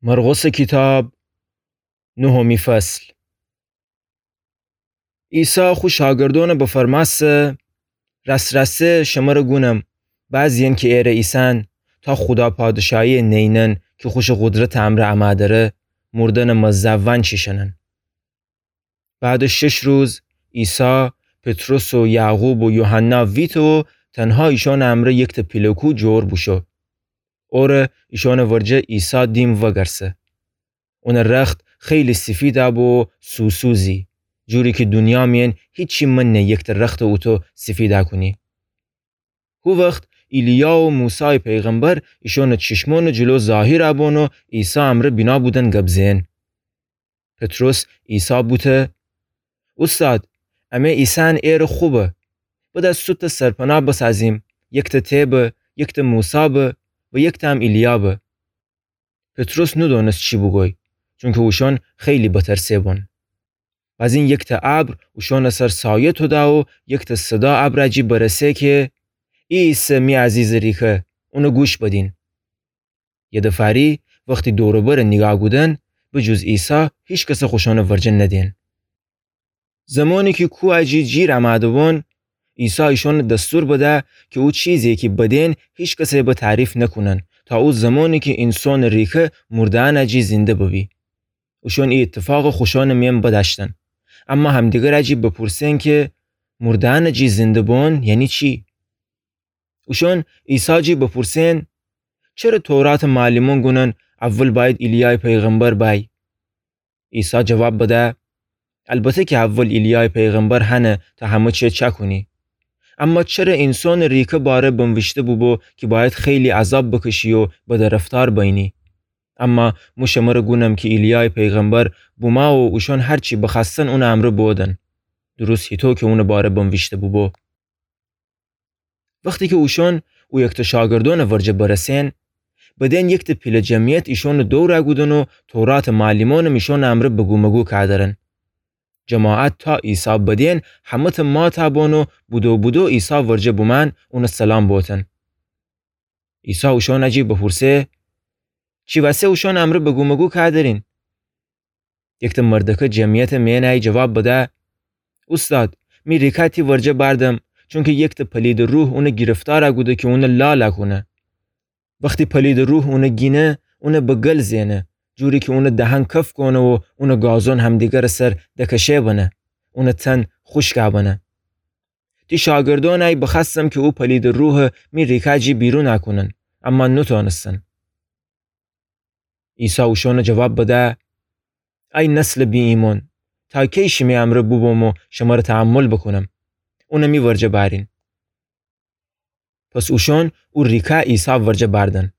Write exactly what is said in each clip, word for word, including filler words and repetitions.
مرقسٚ کیتاب، نهمی فصل. عیسی خو شاگردأنَ بفرمأسته: رأس‌رأسه شمرَ گونم، بعضی‌یأن کی ایرَ ایسن، تا خودا پادشاهیَ نینن کی خوشٚ قدرتٚ امرأ امَ دره، مردنٚ مزه وأنچیشأنن. بعدٚ شش روز، عیسی، پطرس و یعقوب و یوحنا ویته و تنها ایشأنٚ امرأ یکتأ پیله کوه جور بوشو. اوره ایشأنٚ ورجه عیسی دیم وأگرسه. اونٚ رخت خیلی سیفیدَ بو و سوسوزی، جوری کی دونیا میأن هیچی منه یکتأ رختٚ اوطو سیفیدَ کونی. هو وخت ایلیا و موسایٚ پیغمبر ایشأنٚ چیشمأنٚ جلو ظاهیرَ بون و عیسی امرأ بینا بودن گب زئن. پطرس عیسی بوته: اوستاد، امه ایسن ایرٚ خو به. بدأ سوتأ سرپنا بسازیم، یکتأ ته به، یکتأ موسی به و یکتأ هم ایلیا به. پطرس نودأنست چی بوگوی، چونکی اوشأن خیلی بترسه بون. بازین یکتأ ابر اوشأنٚ سر سایه توده و یکتأ صدا ابرَ جی برسه کی: ای ایسه می عزیزٚ ریکه، اونَ گوش بدین. یه دفاری وختی دور و برَ نیگاه کودن، به جز عیسی هیکسَ خوشأنٚ ورجه ندئن. زمانی کی کوهَ جی جیر امده بون، عیسی ایشأنَ دستور بده کی او چیزی کی بدئن هیکسَ به تعریف نکونن، تا او زمانی کی اینسانٚ ریکه مرده‌یأنَ جی زنده ببی. اوشأن ای ایتفاقَ خوشأنٚ میأن بدأشتن، اما همدیگرَ جی بپورسئن کی مرده‌یأنَ جی زنده بون یعنی چی؟ اوشأن عیسی جی بپورسئن: چره توراتٚ معلمأن گونن اول بأید ایلیایٚ پیغمبر بأی؟ عیسی جواب بده: البته کی اول ایلیایٚ پیغمبر هنه تا همه چی چأکونی. اما چره اینسانٚ ریکه باره بنویشته بوبو کی بأید خیلی عذاب بکشی و بدرفتار بینی؟ اما مو شمرَ گونم کی ایلیایٚ پیغمبر بومو و اوشأن هر چی بخوأستن اونٚ امرأ بودن، درست هیطو کی اونٚ باره بنویشته بوبو. وختی کی اوشأن او یکتأ شاگردأنٚ ورجه برسئن، بدئن یکتأ پیله جمعیت ایشأنٚ دورَ کودن و توراتٚ معلمأنم ایشأنٚ امرأ بگومگو کأدرن. جماعت تا عیسی بدئن همه‌تأ ماتَ بون و بدو بدو عیسی ورجه بومأن اونَ سلام بوتن. عیسی اوشأنَ جی بپورسه: چی وسه اوشأنٚ امرأ بگومگو کأدرین؟ یکتأ مردکه جمعیتٚ میأنی جواب بده: اوستاد، می ریکه تی ورجه بأردم، چونکی یکتأ پلیدٚ روح اونَ گیرفتارَ کوده کی اونَ لالَ کونه. وختی پلیدٚ روح اونَ گینه، اونَ به گل زئنه، جوری کی اونٚ دهن کف کونه و اونٚ گازون همدیگرٚ سر دکشه بنه، اونٚ تن خوشکَ بنه. تی شاگردأنَ بخوأستم کی او پلیدٚ روحَ می ریکه جی بیرونَ کونن، اما نوتأنستن. عیسی اوشأنَ جواب بده: ای نسلٚ بی‌ایمأن، تا کی شیمی امرأ بوبوم و شمرَ تحمل بوکونم؟ اونَ می ورجه بأرین. پس اوشأن او ریکه عیسی ورجه بأردن.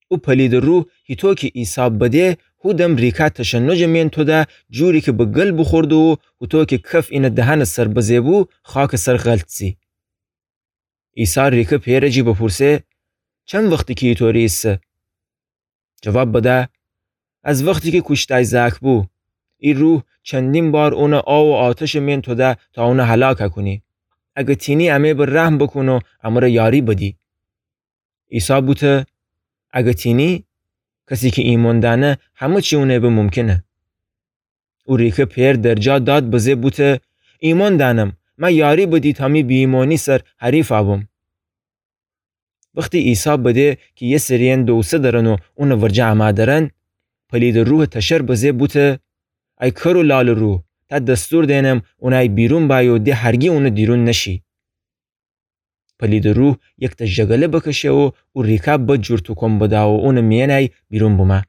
او پلیدٚ روح هیطو کی عیسی بده، هو دم ریکه تشنجٚ میأن توده، جوری کی به گل بوخورده و هوطو کی کف اینٚ دهنٚ سر بزه بو، خاکٚ سر غلط سی. عیسی ریکه پئرَ جی بپورسه: چند وختی کی ایطوری ایسه؟ جواب بده: از وختی کی کوشتأی زأک بو. ای روح چندین بار اونَ آو و آتشٚ میأن توده تا اونَ هلاکَ کونی. اگه تینی امه به رحم بوکون و امرَ یاری بدی. عیسی بوته: اگه تینی؟ کسی کی ایمأن دأنه همه چی اونَ به ممکنه. او ریکه پئر درجا داد بزه بوته: ایمأن دأنم، مه یاری بدی تا می بی‌ایمأنی سر حریفَ بم. وختی عیسی بده کی یه سری‌یأن دوسه درن و اونٚ ورجه امَ درن، پلیدٚ روحٚ تشر بزه بوته: ای کر و لالٚ روح، تأ دستور دئنم اونَ بیرون بأی و ده هرگی اونٚ دیرون نشی. پلیدٚ روح یکتأ ژگله بکشه و او ریکه بد جور توکون بده و اونٚ میأنی بیرون بومه.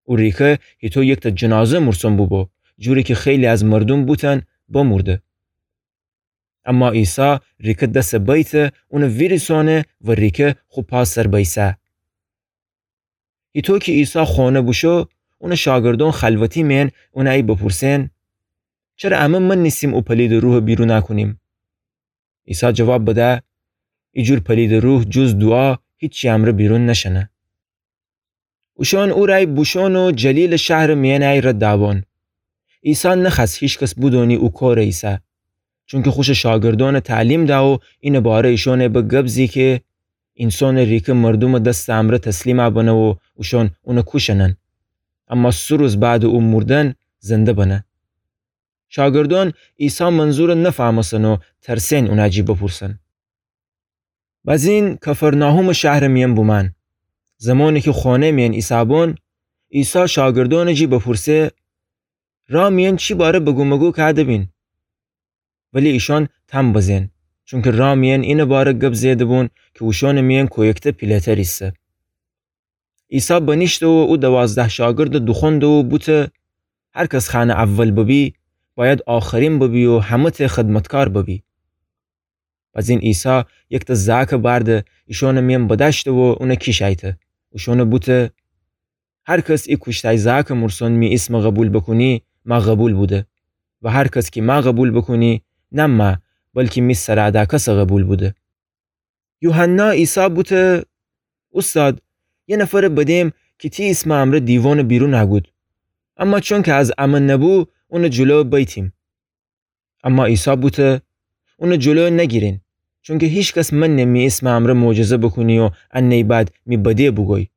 او ریکه هیطو یکتأ جنازه مورسون بوبو، جوری کی خیلی از مردوم بوتن بمورده. اما عیسی ریکه دسَ بیته، اونَ ویریسأنه و ریکه خو پا سر بیسه. هیطو کی عیسی خونه بوشو، اونٚ شاگردأن خلوتی میأن اونَ بپورسئن: چره امه من نیسیم او پلیدٚ روحَ بیرونَ کونیم؟ عیسی جواب بده: ای جور پلیدٚ روح جز دوعا هیچی امرأ بیرون نشأنه. اوشأن اورَ بوشون و جلیلٚ شهرٚ میأنی رد بون. عیسی نخوأست هیکس بودونی او کورَ ایسه، چونکی خوشٚ شاگردأنَ تعلیم ده و اینٚ باره ایشأنَ به گب زی کی اینسانٚ ریکه مردومٚ دستٚ امرأ تسلیمَ بنه و اوشأن اونَ کوشأنن. اما سه روز بعدٚ او موردن زنده بنه. شاگردأن عیسی منظورَ نفهمستن و ترسئن اونٚ جی بپورسن. بزین کفرناحومٚ شهرٚ میأن بومأن. زمانی کی خوأنه میأن ایسهبأن، عیسی شاگردأنٚ جی بپورسه: رأ میأن چی باره بگومگو کده‌بین؟ ولی ایشأن تن بزئن، چونکی رأ میأن اینٚ باره گب زئیده‌بون کی اوشأنٚ میأن کویکته پیله‌تر ایسه. عیسی بنیشته و او دوازده شاگردَ دوخوأنده و بوته: هر کس خوأنه اول ببی، بأید آخرین ببی و همه‌تأ خدمتکار ببی. بزین عیسی یکتأ زأکَ بأرده، ایشأنٚ میأن بدأشته و اونَ کیشأیته. اوشأنَ بوته: هر کس ای کوشتأی زأکٚ مورسون می ایسمَ قوبیل بوکونی، مه قوبیل بوده. و هر کس کی مه قوبیل بوکونی، نه مه، بلکی می سرَ اَدَه کسَ قوبیل بوده. یوحنا عیسی بوته: اوستاد، یه نفرَ بدیم کی تی ایسمٚ امرأ دیوانَ بیرون اَگود. اما چونکی از امه نبو، اونٚ جلو بیتیم. اما عیسی بوته: اونٚ جلو نگیرین، چونکی هیکس منه می ایسمٚ امرأ معجزه بوکونی و انه بعد می بده بوگوی.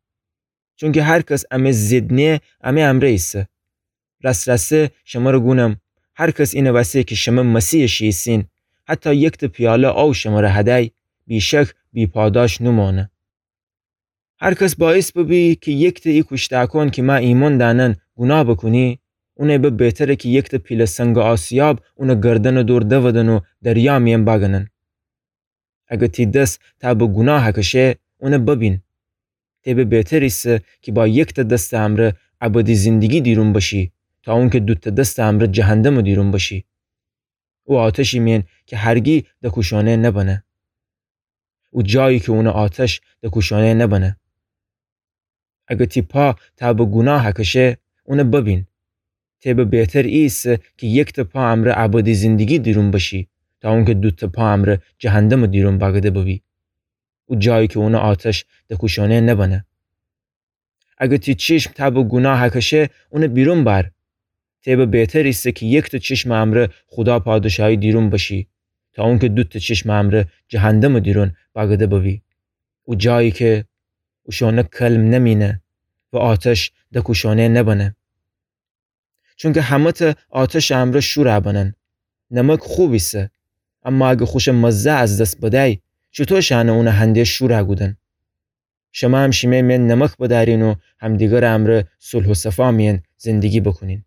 چونکی هر کس امه ضد نییه، امه امرأ ایسه. رأست رأسته شمره گونم، هر کس اینٚ وسه کی شمه مسیحٚ شی ایسین، حتی یکتأ پیاله آو شمره هدی، بی‌شک بی‌پاداش نومأنه. هر کس باعث ببی کی یکتأ ای کوشتأکأن کی مه ایمأن دأنن گوناه بوکونی، اونَ به بهتره کی یکتأ پیله سنگٚ آسیاب اونٚ گردنٚ دور دودن و دریا میأن بأگنن. اگر تی دس تا به گوناه کشه، اونَ ببین. تی به بهتر ایسه کی با یکتأ دستٚ امرأ ابدی زندگی دیرون بشی، تا اونکی دوتأ دستٚ امرأ جهندمٚ دیرون بشی. او آتشی میأن کی هرگی دکوشأنه نبنه. او جایی کی اونٚ آتش دکوشأنه نبنه. اگر تی پا تا به گوناه کشه، اونَ ببین. تی به بهتر ایسه کی یکتأ پا امرأ ابدی زندگی دیرون بشی، تا اونکی دوتأ پا امرأ جهندمٚ دیرون بأگده ببی. او جایی کی اونٚ آتش دکوشأنه نبنه. اگر تی چشم تا به گوناه کشه، اونَ بیرون بأر. تی به بهتر ایسه کی یکتأ چشمٚ امرأ خودا پادشاهی دیرون بشی، تا اونکی دوتأ چشمٚ امرأ جهندمٚ دیرون بأگده ببی. او جایی کی اوشأنٚ کلم نمینه و آتش دکوشأنه نبنه. چونکی همه‌تأ آتشٚ امرأ شورَ بنن. نمک خوب ایسه، اما اگر خوشٚ مزه از دس بدی، چوطو شأنه اونَ هنده شورَ کودن؟ شمه هم شیمه میأن نمک بدأرین و همدیگرٚ امرأ صلح و صفا میأن زندگی بوکونین.